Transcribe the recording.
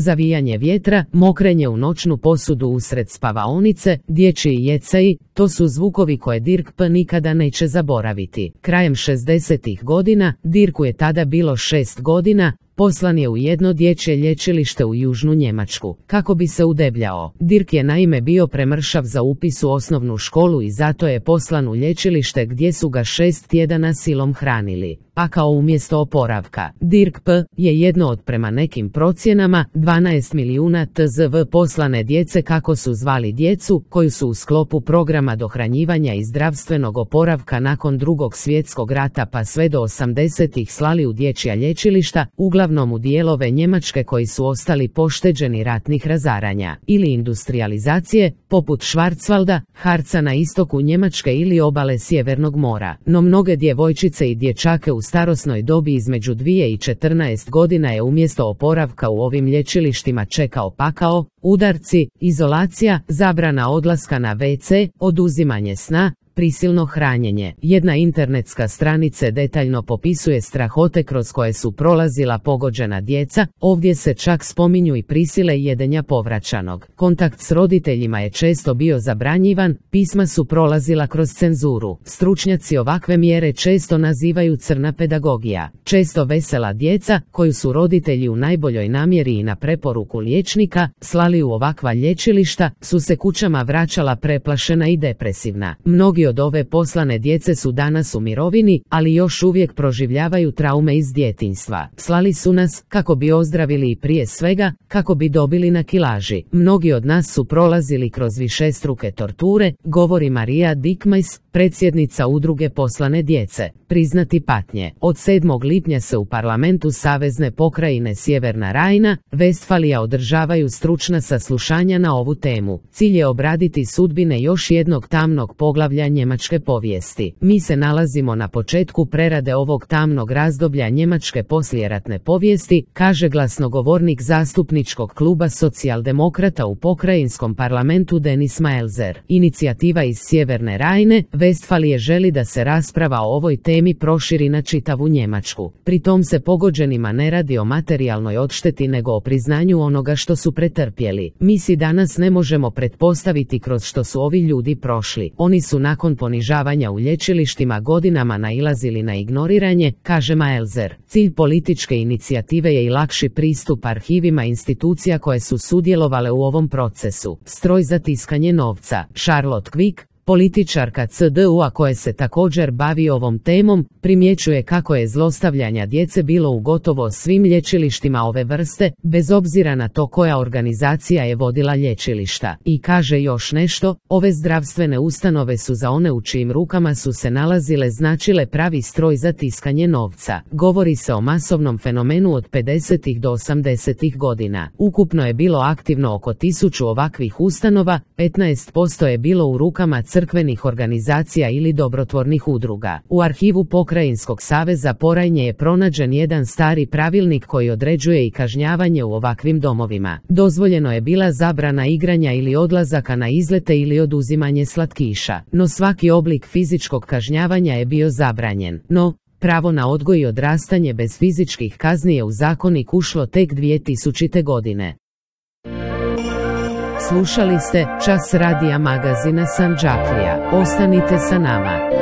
zavijanje vjetra, mokrenje u noćnu posudu usred spavaonice, dječji jecaji, to su zvukovi koje Dirk P. nikada neće zaboraviti. Krajem 60-ih godina, Dirku je tada bilo 6 godina, poslan je u jedno dječje lječilište u južnu Njemačku, kako bi se udebljao. Dirk je naime bio premršav za upis u osnovnu školu i zato je poslan u lječilište gdje su ga 6 tjedana silom hranili. Pakao umjesto oporavka. Dirk P. je jedno od, prema nekim procjenama, 12 milijuna tzv. Poslane djece, kako su zvali djecu, koju su u sklopu programa dohranjivanja i zdravstvenog oporavka nakon Drugog svjetskog rata pa sve do 80-ih slali u dječja lječilišta, uglavnom u dijelove Njemačke koji su ostali pošteđeni ratnih razaranja ili industrijalizacije, poput Schwarzwalda, Harca na istoku Njemačke ili obale Sjevernog mora. No mnoge djevojčice i dječake u starosnoj dobi između 2 i 14 godina je umjesto oporavka u ovim lječilištima čekao pakao, udarci, izolacija, zabrana odlaska na WC, oduzimanje sna, prisilno hranjenje. Jedna internetska stranica detaljno popisuje strahote kroz koje su prolazila pogođena djeca, ovdje se čak spominju i prisile jedenja povraćanog. Kontakt s roditeljima je često bio zabranjivan, pisma su prolazila kroz cenzuru. Stručnjaci ovakve mjere često nazivaju crna pedagogija. Često vesela djeca, koju su roditelji u najboljoj namjeri i na preporuku liječnika slali u ovakva lječilišta, su se kućama vraćala preplašena i depresivna. Mnogi od ove poslane djece su danas u mirovini, ali još uvijek proživljavaju traume iz djetinjstva. Slali su nas kako bi ozdravili i prije svega kako bi dobili na kilaži. Mnogi od nas su prolazili kroz višestruke torture, govori Marija Dickmeis, predsjednica udruge poslane djece. Priznati patnje. Od 7. lipnja se u parlamentu Savezne pokrajine Sjeverna Rajna, Vestfalija održavaju stručna saslušanja na ovu temu. Cilj je obraditi sudbine još jednog tamnog poglavlja njemačke povijesti. Mi se nalazimo na početku prerade ovog tamnog razdoblja njemačke poslijeratne povijesti, kaže glasnogovornik zastupničkog kluba socijaldemokrata u pokrajinskom parlamentu Denis Maelzer. Inicijativa iz Sjeverne Rajne, Vestfalije želi da se rasprava o ovoj temi proširi na čitavu Njemačku. Pri tom se pogođenima ne radi o materijalnoj odšteti nego o priznanju onoga što su pretrpjeli. Mi si danas ne možemo pretpostaviti kroz što su ovi ljudi prošli. Oni su nakon ponižavanja u lječilištima godinama nailazili na ignoriranje, kaže Maelzer. Cilj političke inicijative je i lakši pristup arhivima institucija koje su sudjelovale u ovom procesu. Stroj za tiskanje novca. Charlotte Quick, političarka CDU-a koja se također bavi ovom temom, primjećuje kako je zlostavljanja djece bilo u gotovo svim lječilištima ove vrste, bez obzira na to koja organizacija je vodila lječilišta. I kaže još nešto, ove zdravstvene ustanove su za one u čijim rukama su se nalazile značile pravi stroj za tiskanje novca. Govori se o masovnom fenomenu od 50. do 80. godina. Ukupno je bilo aktivno oko 1000 ovakvih ustanova, 15% je bilo u rukama crkvenih organizacija ili dobrotvornih udruga. U arhivu Pokrajinskog saveza Porajnje je pronađen jedan stari pravilnik koji određuje i kažnjavanje u ovakvim domovima. Dozvoljeno je bila zabrana igranja ili odlazaka na izlete ili oduzimanje slatkiša, no svaki oblik fizičkog kažnjavanja je bio zabranjen. No, pravo na odgoj i odrastanje bez fizičkih kazni je u zakonik ušlo tek 2000. godine. Slušali ste Čas radija magazina Sandžaklija. Ostanite sa nama.